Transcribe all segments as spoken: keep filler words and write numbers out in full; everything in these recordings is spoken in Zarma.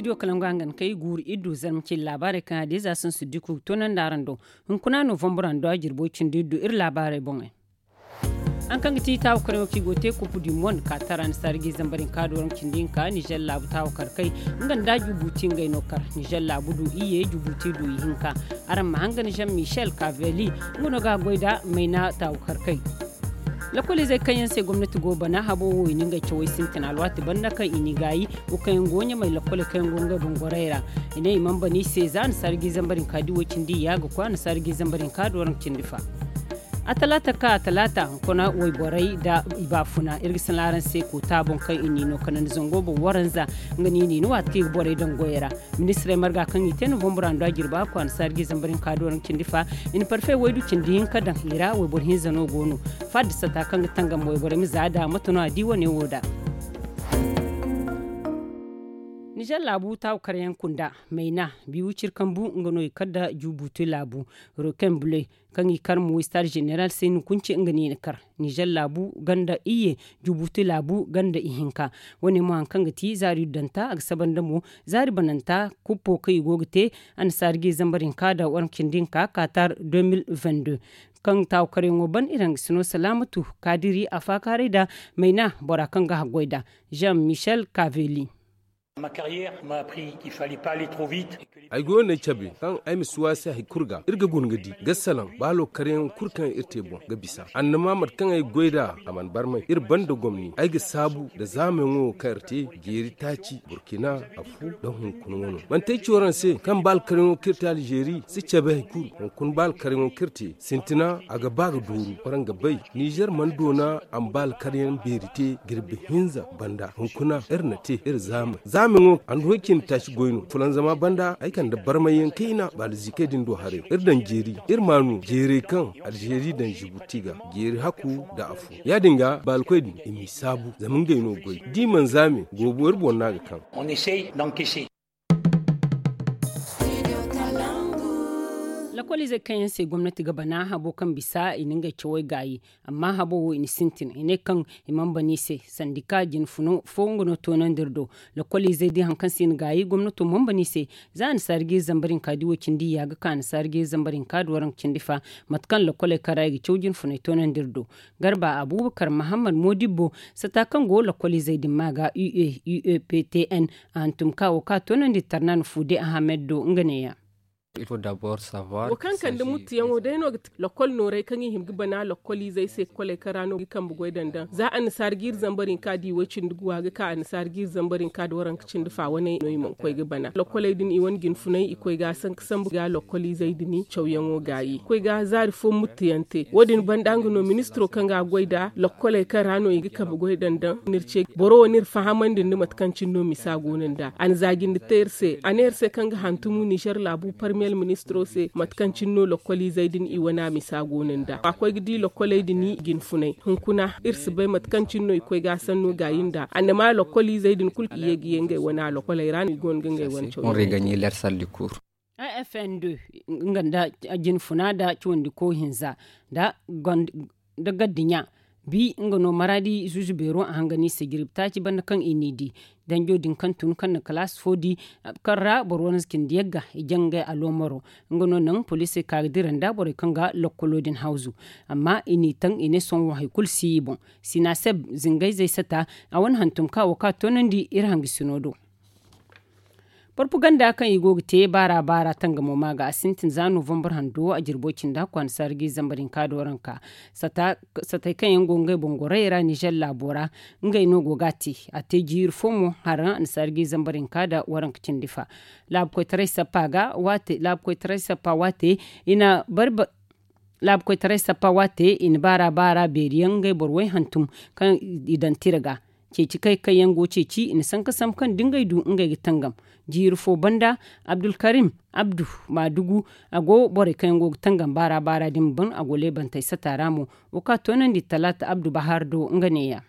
Studio kalangu hangan kay guuru iddu zarma cindi laabaarey kaŋ a diiza sansu diku toonandi araŋ do. Hunkuna novambur ra nda jirbo cindi iddu iri laabaarey boŋey. Haŋ kaŋ ga ti taawakar yaŋo kaŋ i go ga te kupu du monde ka tara ni saari ga i zambar hinka da waranka cindi hinka nizer laabu taawakar kay. Nga nda jubuti ngey no kar nizer laabu du iyye jubuti du ihinka. Araŋ ma hangan jean michel kaveli nga no ga a goy nda mayna taawakar kay. Lakkoliizey kaŋ yaŋ se gomnati go bana habo wo i na ngey cawey sintin alwaati banda kaŋ i n'i gaayi wo kaŋ yaŋ go ɲamey lakkoley kaŋ yaŋ go ngey boŋ gorey ra. I ne i mana bana i se za a na saari ga i zambar hinka da i way cindi iyya ga koy a na saari ga i zambar hinka da waranka cindi fa. A talaata ka a talaata hunkuna wayborey nda i baafuna iri ga sanda araŋ se koota boŋ kaŋ i n'i no kanandi zango boŋ waranza. Nga no i n'i no waati kaŋ i ga borey daŋ goyey ra. Ministirey marga kaŋ i te novambur ra nda jirba kwaana saari ga i zambar hinka da waranka cindi fa. I na parfe waydu cindi hinka daŋ i ra wayboro hinza no go no. Faada sata kaŋ ga tangam wayborey ma za da mate no a di wane wo da. Nizer laabu taawu karyaŋ kunda mayna biiwu ciri kambu nga no i kar nda jubuutu laabu roken bule kaŋ i kar mo istaad jeneral se ni kunce nga no i na kar. Nizer laabu ganda iyye jubuutu laabu ganda ihinka. Wane mo hari kaŋ ga ti zaari danta a ga saba nda mo zaari bananta kuppo kaŋ i go ga te. Annasaari ga i zambar hinka nda waranka cindi hinka katar deux mille vingt-deux. Kaŋ taawu karyaŋo ban iri hangasino salaamatu kaadiri a faakaaray nda mayna bora kaŋ ga haggoy nda jean michel kaveli. Ay goyo n'ay cabe kaŋ ay ma si waasi hari kulu ga iri ga guna ga di ga salaŋ ba lokaryaŋ kulu kaŋ iri te boŋ ga bisa annama mate kaŋ ay goy nd'a a mana barmay iri banda gomni ay ga saabu nda zaamayaŋo wo kaŋ iri te jeeri taaci burkina afo nda hunkuna wano. Manti ay ci waraŋ se kaŋ ba lokaryaŋo kaŋ iri te alzeeri si cabe hari kulu hunkuna ba lokaryaŋo kaŋ iri te sintina a ga ba ga dooru waraŋ ga bay nizer mana doona a ma ba alkaryaŋ beeri te jirbi hinza banda hunkuna iri na te iri zaamay zaamayaŋo a na hoy cindi taaci goy no fulanzama banda ay kande barmayyaŋ kayna baala ziikay din do haray iri daŋ jeeri iri ma a no jeerey kaŋ alzeeri daŋ zibuti ga jeeri hakku nda afo ya- din ga baalkoy din i m'i saabu zama ngey no goy da i mana zaame goobo iri boŋ no a ga kaŋ. Lakkoliizey kaŋ yaŋ se gomnati ga bana habo kaŋ bisa i na ngey cawey gaayi. Amma habo wo i na sintin i ne kaŋ i mana bana i se sandika jinfuno fo nga no toonandi iri do. Lakkoliizey din hari kaŋ se i na gaayi gomnato mana bana i se. Za annasaari ga iri zambar hinka da i wo cindi iyya ga ka annasaari ga iri zambar hinka da waranka cindi fa. Mate kaŋ lakkoley kaŋ ra i ga caw jinfuney toonandi iri do. Garba abuubakar mahammad moodibbo sata kaŋ go lakkoliizey din ma ga ue ueptn a hantum ka wo ka toonandi tarnan fude ahamed do nga neeya. Wo kaŋ kande muttuyaŋo day no ga ti lakkol nooray kaŋ i hima ga bana lakkoliizey se lakkoliizey kaŋ ra no ga kambe goy dandaŋ za annasaari ga iri zambar hinka da i way cindi guwa ga ka annasaari ga iri zambar hinka da waranka cindi fa wane no i mana koy ga bana lakkoley din i wane jinfunay i koy ga a sanka sambu ga lakkoliizey din cawyaŋo gaayi koy ga zaari fo muttuyaŋ te wo- din banda nga no ministiro kaŋ ga a goy nda lakkoley kaŋ ra no i ga kambe goy dandaŋ n'iri ce boro wo n'iri fahamandi nda mate kaŋ cine no misa go no nd'a a na zaajindi te iri se a ne iri se kaŋ ga hantumu nizer laabu parmiyel ministiro se mate kaŋ cine no lakkoliizey din i wane a misa go no nd'a a koy ga di lakkoley din i jinfunay hunkuna iri si bay mate kaŋ cine no i koy ga a sanno gaayi nd'a annama lakkoliizey din kulu i ye ga ye ngey wane a lakkoley ra no i go no ga ngey wane cawyaŋ. Afn deux nga nda jinfuna nda cawandiko hinza nda gardiɲa bi nga no maraadi zuuzu beero a hangan i se jirbi taaci banda kaŋ i n'i di danjo din kaŋ tun kaŋ na kalaasi fo di kaŋ ra boro wane cindi yagga i jaŋ ngey aloomaro. Nga no naŋ poliisey ka ga dira nda borey kaŋ ga lokkolo din hawzu. Amma i n'i taŋ i ne sohõ hari kulu si i boŋ. Sinaseb zingayzey sata a wane hantum kaŋ a wo ka toonandi iri hangasino do. Porpaganda kaŋ i go ga te baara baara tangamo ma ga a sintin za novambar hando a jirbo cinda kwaana saara ga i zambar hinka da waranka. Satey kaŋ yaŋ go ngey boŋ gorayey ra nizer laabo ra ngey no go ga a te. A te jiiri fo mo haraŋ a na saara ga i zambar hinka da waranka cindi fa. Laabu koytaray sappa ga waate laabu koytaray sappa waate i na bari laabu koytaray sappa waate i na baara baara beeri yaŋ ngey boro way hantum kaŋ i daŋ tira ga. Ceeci kay kaŋ yaŋ go ceeci i na sanka sambu kaŋ da ngey du ngey ga tangam. Jiiri fo banda abdulkarim abdu maadugu a go borey kaŋ yaŋ go ga tangam baara baara din ma ban a go leebantey sata ra mo. Wo kaŋ a toonandi talaata abdu bahaari do nga neeya.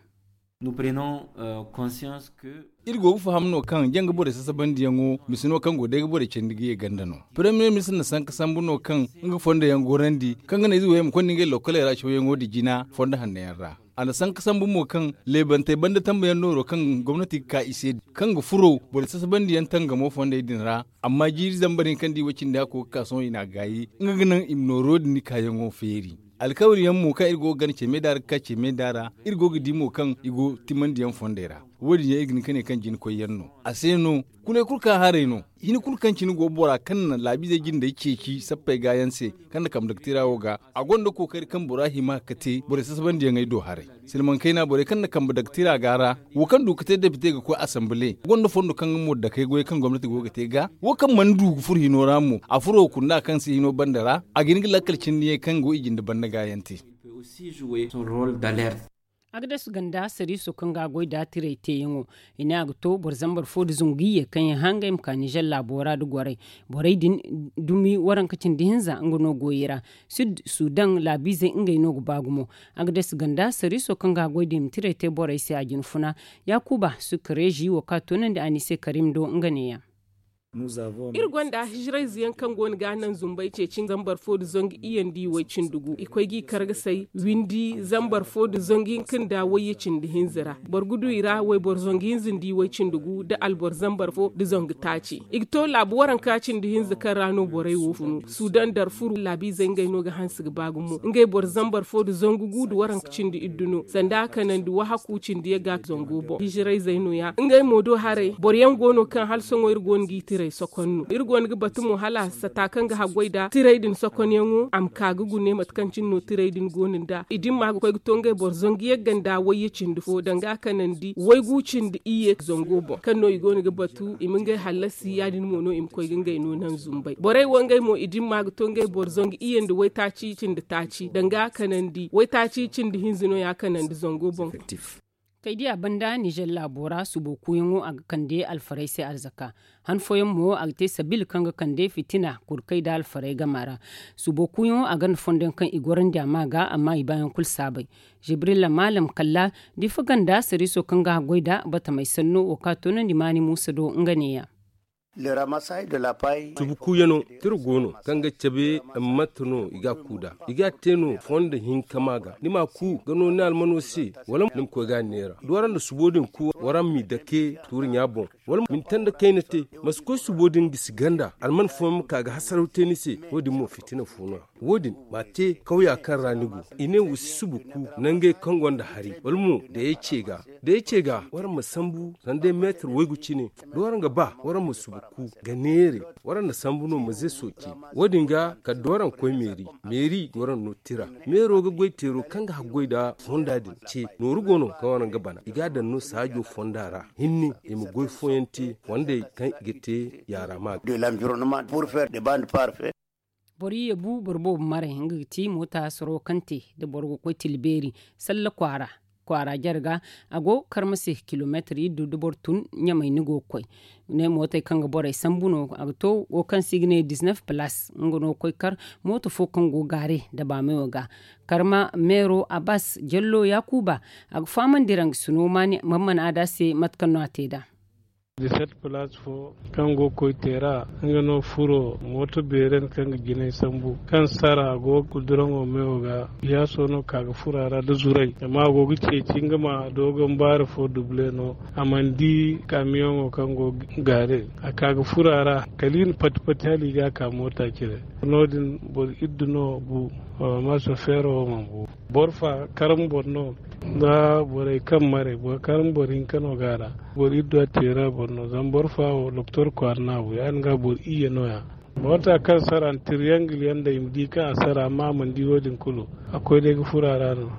Iri go ga faham no kaŋ janga borey sasabandiyaŋo misa no kaŋ go day ga borey candi ga ye ganda no. Premier ministre na sanka sambu no kaŋ nga fondo yaŋ gorandi kaŋ ga ne ize wo yaŋ ma konda ngey lokkoley ra cawyaŋo da jina fondo hanno yaŋ ra. A na sanka sambu mo kaŋ leebantey banda tambayaŋ nooro kaŋ gomnati ga ka i se, kaŋ ga furo borey sasabandi yaŋ tangamo fondey din ra. Amma jiiri zambar hinka nda i way cindi hakko ga ka sohõ i n'a gaayi, nga ga naŋ i ma nooro din kaayaŋo feeri. Alkawari yaŋ mo kaŋ iri go ga gana ce meeda ra ga ka ce meeda ra, iri go ga di mo kaŋ i go timandi yaŋ fondey ra. Wo- din yaŋ iri ga hin ka ne kaŋ jina koy yaŋ no. A se no, kulay kulu ka haray no. Hini kulu kaŋ cine go bora kaŋ na laabiizey jindey ceeci sappey gaayaŋ se, kaŋ na kambe dagtira wo ga, a gonda kookari kaŋ bora hima ga te borey sasabandiyaŋey do haray. Silmaŋ kayna borey kaŋ na kambe dagtira ga ra, wo kaŋ du ga te depite ga koy asambile, gonda fondo kaŋ nga mo dakey goyey kaŋ gomnati go ga te ga. Wo kaŋ mana du ga furo hino ra mo, a furo kunda kaŋ si hino banda ra, a ga hin ga lakkal cindi yaŋ kaŋ go i jinde banda gaayaŋ te. Agades ganda sariiso kaŋ ga a goy nda tirey teeyaŋo, i ne a ga to boro zambar fo nda zangu iyye kaŋ yaŋ hã ngey ma ka nizer laabo ra nda gorey. Borey din dumi waranka cindi hinza nga no go i ra. Sud sudan laabiizey ngey no ga ba gumo. Agades ganda sariiso kaŋ ga a goy nda i ma tirey te borey se a jina funa. Yaakuba sukka reezi wo kaŋ a toonandi a ni se karim do nga neeya. Iri gonda hijirayze yaŋ kaŋ go no ga a naŋ zumbay ceeci zambar fo nda zangu iyye nda i way cindi gu i koy g'i kargasay windi zambar fo nda zangu hinka nda wayye cindi hinza ra. Boro ga du i ra wayboro zangu hinza nda i way cindi gu nda alboro zambar fo nda zangu taaci. I ga to laabu waranka cindi hinza kaŋ ra no borey wo funu sudan darfur laabiizey ngey no ga hanse ga ba gumo ngey boro zambar fo nda zangu gu nda waranka cindi iddu no sanda a kanandi wahaku cindi yaŋ ga zango boŋ hijirayzey no- ya ngey mo do haray boro yaŋ go no kaŋ hala sohõ iri go no g'i tirey sokon no iri go no ga batu mo hala sata kaŋ ga haggoy nda tirey din sokonyaŋo a ma ka ga gune mate kaŋ cine no tirey din go no nda i dimma ga koy ga to ngey boro zangu yagga nda wayye cindi fo danga a kanandi waygu cindi iyye zango boŋ kaŋ no i go no ga batu i ma ngey hallasi ya- din mo no i ma koy ga ngey no naŋ zumbay borey wo ngey mo i dimma ga to ngey boro zangu iyye nda waytaaci cindi taaci danga a kanandi waytaaci cindi hinza no ya kanandi zango boŋ. Kay diya banda nizer laabo ra subo kuuyaŋo a ga kande alfarey se arzaka. Han fooyaŋ mo a ga te sabil kaŋ ga kande fitina kurkey nda alfarey gama ra. Subo kuuyaŋo a gonda fondo yaŋ kaŋ i gorandi a ma ga amma i baayaŋ kulu saabay. Jibrilla maalam kalla difa ganda sariiso kaŋ ga haggoy nda batamey sanno wo kaŋ a toonandi maani muusa do nga neeya. Subu kuuyano tira go no kaŋ ga cabe. Mate no i ga a ku nd'a i ga a te no fondo hinka ma ga ni m'a ku ga no ni almano se wala ni ma koy ga a neera da waraŋ na subo din ku waraŋ m'i dake tuuri ɲa boŋ wala ma ni tanda kayna te ma si koy subo din gisi ganda alman fooyaŋ ma ka ga hasaraw te ni se wo- din mo fitina fo no ya wo- din m'a te kawya kaŋ ra ni go i ne wa si subu ku nangey kaŋ gonda hari wala mo da ya ce ga da ya ce ga waraŋ ma sambu sanda meetar waygu cine da waraŋ ga ba waraŋ ma subu ku ga neere waraŋ na sambu no ma ze sooci wo- din ga kala da waraŋ koy meeri meeri ga waraŋ no tira meero ga goy teero kaŋ ga haggoy nda fonda din ce nooru go no kaŋ waraŋ ga bana i ga a daŋ no saajo fonda ra hinne i ma goy fooyaŋ te fondey kaŋ i ga te yaara ma ga. Boro iyye bu boro boobo maray nga ga ti moota soro kaŋ te da boro ga koy tila beeri salla kwaara kwaara jare ga a go karma se kilomeetar iddu da boro tun ɲamay ni go ga koy ne mootey kaŋ ga borey sambu no a ga to wo kaŋ se i ga ne dizinef palaas nga no ga koy kar mooto fo kaŋ go gaare da baameyo ga karma meero abbas jallo yaakuuba a ga fahamandi ra nga si no maamman aada se mate kaŋ no a te nd'a. Diset palaas fo kaŋ go ga koy teera nga no furo mooto beeren kaŋ ga jinay sambu kaŋ sara go ga kuduraŋo meyo ga. Yaaso no ka ga furo a ra nda zuray zama a go ga ceeci nga ma doogon baari fo dubule no a mana di kaamiyoŋo kaŋ go ga gaare a ka ga furo a ra kala i na pati pati hala i ga a ka moota cire. No- din boro iddu no bu amma sofeero wo mana bu. Boro fa karma boro no nda borey kaŋ maray boro karma boro hinka no go a ra. Boro iddu a teera boro no zama boro fa wo doktor kwaara no a bu ya- din ga boro iyye no- ya. Moota kaŋ sara nda tiriyangil yaŋ daŋ i ma di kaŋ a sara amma a mana di wo- din kulu a koy day ga furo a ra no.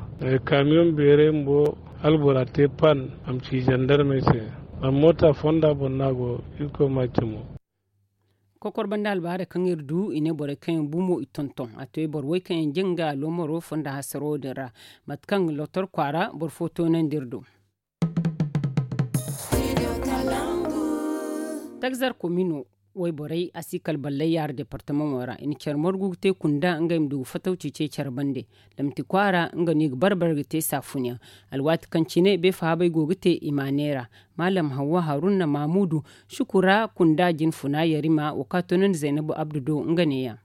Kaamiyoŋ beeray bumbo hala bora te pan a ma ci zandarmey se. Zama moota fonda boŋ no a go. Irkoy ma a cimo. Kokor banda albaarey kaŋ iri du i ne borey kaŋ yaŋ bu mo i tonton a to i boro way kaŋ yaŋ jin ga aloomaro fonda hasaro din ra. Mate kaŋ lotor kwaara boro fo toonandi iri do. Tagzar komino wayborey a si kala ballay yaara departamaŋo ra i na care margu ga te kunda ngey ma du ga fatawci ce care bande. Lamti kwaara nga no i ga barbar ga te saafunyaŋ. Alwaati kaŋ cine beefahabey go ga te i ma a neera. Maalam hawwa haruna maamudu sukura kunda jinfuna yarima wo kaŋ a toonandi zaynabu abdu do nga neeya.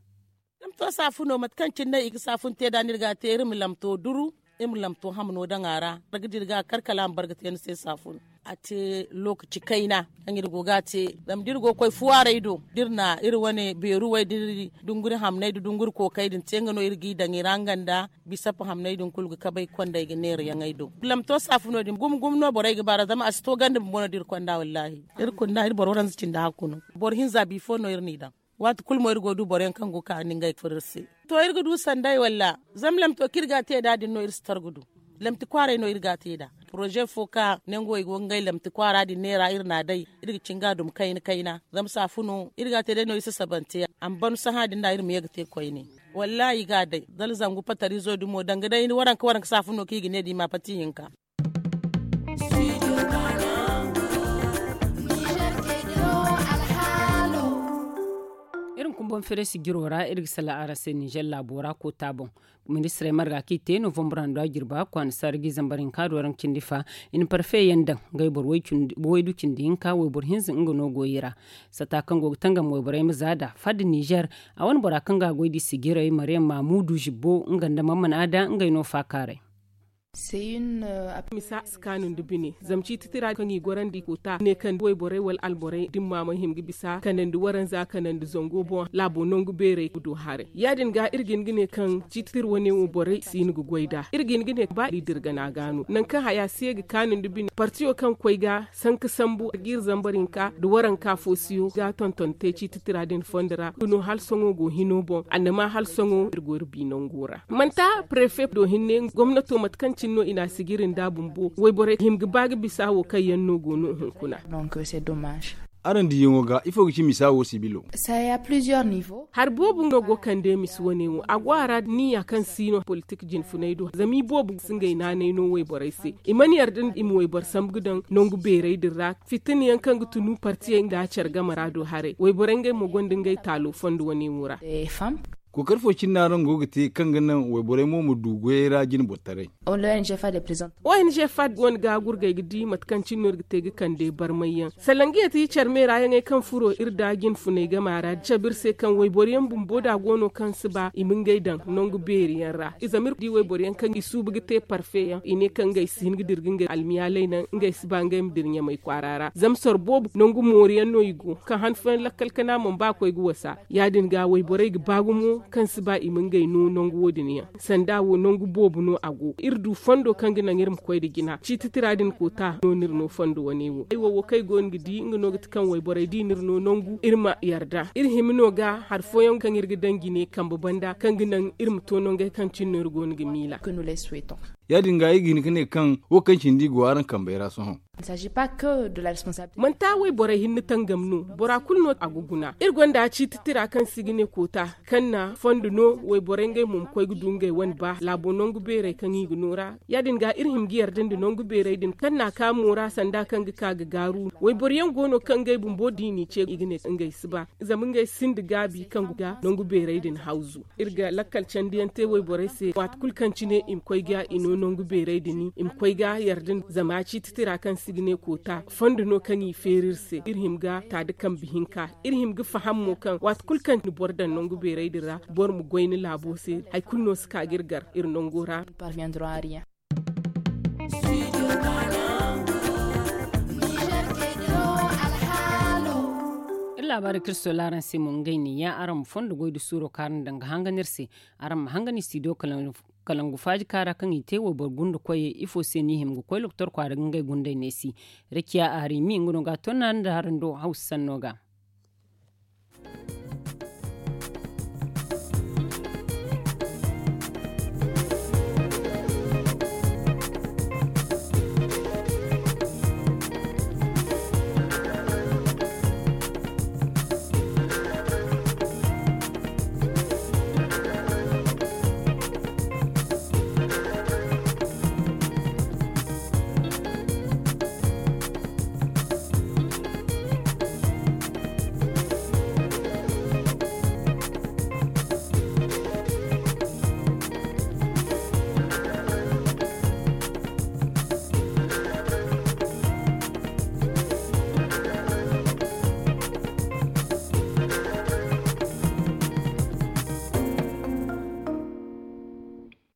Iri ma to saafuno mate kaŋ cine no i ga saafun te nd'a no iri ga a te iri ma lamto duru. iri ma lamto hamno daŋ a ra. Raga da iri ga a kar kala a ma bar ga te ni se saafun. A te lookaci kayna kaŋ iri go ga a te. Zama da iri go ga koy fuwaaray do da iri na iri wane beeruwey da iri dunguri hamney da dunguri kookey din te nga no iri g'i daŋ i ra nga nda bisap hamney din kulu ga kabay kondey ga neerayaŋey do. Lamto saafuno din gumo gumo no borey ga baar'a zama a si to ganda bumbo no da iri konda wallaahi. Iri konda iri boro waranza cindi hakku no. Boro hinza biifo no iri n'i daŋ. Waati kulu mo iri go ga du boro yaŋ kaŋ go ga ka ni ngey furo iri se. To iri ga du sanday walla? Zama lamto kaŋ iri ga a te nd'a din no iri si tar ga du. Lamti kwaaray no iri ga a te nd'a. Poroze fo ka nangu wo i go ga ngey lamti kwaara din neera iri n'a day. Iri ga cin ga a dum kayna kayna zama saafuno iri ga a te day no iri sasabante. A ma ban sahã din da iri ma ye ga te koyne. Wallaahi i ga a day zala zangu patarizo dumo danga day ni waranka waranka saafuno kaŋ i ga ne da i ma pati hinka. Iri ma kumbaŋ fereesi jiro ra iri ga salaŋ araŋ se ninzeer laabo ra koota boŋ. Ministirey marga kaŋ i te novambar handu a jirba kwaana saara ga i zambar hinka do araŋ ga cindi fa. I na parfe yaŋ daŋ ngey boro waydu cindi hinka wayboro hinza nga no go i ra. Sata kaŋ go ga tangam wayborey ma za nd'a fadda ninzeer. A wane bora kaŋ ga a goy da i sijirey maryam mamudu zibbo nga nda mamman aada ngey no faakaaray. Misa si kaanu nda bine zama ciiti tira kaŋ i gorandi koota ne kaŋ wayborey wala alborey dimma ma hima ga bisa kanandi waranza kanandi zango boŋ laabo nangu beerey ga du haray. Ya- din ga iri ga hin ga ne kaŋ ciiti tira wane wo borey si hin ga goy nd'a iri ga hin ga ne ba iri dirgana ga no nangu kaŋ haya si ye ga kaanu nda bine partiyo kaŋ koy ga sanka sambu ga iri zambar hinka nda waranka fo siyo ga tonton te ciiti tira din fondo ra ga no hala sohõ go hino boŋ annama hala sohõ iri go iri bi nango ra. Manti prefe do hinne gomnato mate kaŋ cine no i n'a sijiri nd'a bumbo wayborey hima ga ba ga bisa wo kaŋ yaŋ no go no hunkuna. Araŋ diyaŋo ga ifo ga ci misa wo sibilo? Hari boobo no go kande misa wane wo a go a ra niya kaŋ si no politik jinfunay do zama i boobo si ngey naanay no wayborey se i mana yarda i ma wayboro sambu ga daŋ nangu beerey din ra. Fitina yaŋ kaŋ ga tunu partiyey nda care game ra do haray wayborey ngey mo gonda ngey taalo fondo wane wo ra. Kookari fo cine no araŋ go ga te kaŋ ga naŋ wayborey mo ma du goyey ra jine boro taray? O n g fad wane ga gurgay ga di mate kaŋ cine no iri ga te ga kande barmay yaŋ salangiya ti care meera yaŋey kaŋ furo iri da jinfunay game ra cabe iri se kaŋ wayboro yaŋ bumbo da go no kaŋ si ba i ma ngey daŋ nangu beeri yaŋ ra i zama iri di wayboro yaŋ kaŋ i suuba ga te parfe yaŋ i ne kaŋ ngey si hin ga dira ga ngey almiyaaley naŋ ngey si ba ngey ma dira ɲamay kwaara ra zama soro boobo nangu moori yaŋ no i go kaŋ han fooyaŋ lakkal kana mana ba koy ga wasa. Ya- din ga wayborey ga ba gumo kaŋ si ba i ma ngey no nangu wo- din yaŋ sanda wo nangu boobo no a go iri du fondo kaŋ ga naŋ iri ma koy nda jina ciiti tira din koota no no iri no fondo wane wo ay wo wo kaŋ ay go no ga di nga no ga ti kaŋ wayborey di no iri no nangu iri ma yarda iri hima no ga hari fooyaŋ kaŋ iri ga daŋ jine kambe banda kaŋ ga naŋ iri ma to nangey kaŋ cine no iri go no ga miila. Ya- din ga ay ga hin ga ne kaŋ wo kaŋ cindi go araŋ kambey ra sohõ. Manti a wayborey hinne tangam no bora kulu no a ga guna iri gonda ciiti tira kaŋ se i ga ne koota kaŋ na fondo no wayborey ngey mo ma koy ga du ngey wane ba laabo nangu beerey kaŋ i ga no ra. Ya- din ga iri hima ga yarda nda nangu beerey din kaŋ na a ka mo ra sanda kaŋ ga ka ga gaaru wayboro yaŋ go no kaŋ ngey bumbo da i n'i ce i ga ne ngey si ba zama ngey sinda gaabi kaŋ ga nangu beerey din hawzu. Iri ga lakkal candiyaŋ te wayborey se waati kulu kaŋ cine i ma koy ga i no nangu beerey din i ma koy ga yarda zama ciiti tira kaŋ se i ga ne koota fondo no kaŋ i feeri iri se iri hima ga ta da kambe hinka iri hima ga faham mo kaŋ waati kulu kaŋ ni boro daŋ nangu beerey din ra boro ma goy ni laabo se hari kulu no si ka ga iri gar iri nango ra. Iri laabaari kaŋ iri sola araŋ se mo ngey ne ya araŋ ma fondo goy da suuro kaŋ araŋ daŋ ga hangan iri se. Araŋ ma hangan iri studio kalangu faaji kaara kaŋ i te wayboro gunda koyey ifo se no i hima ga koy lokotor kwaara ga ngey gundey neesi. Rakiya arimi nga no ga a tonnaari nda haraŋ do hawsa sanno ga.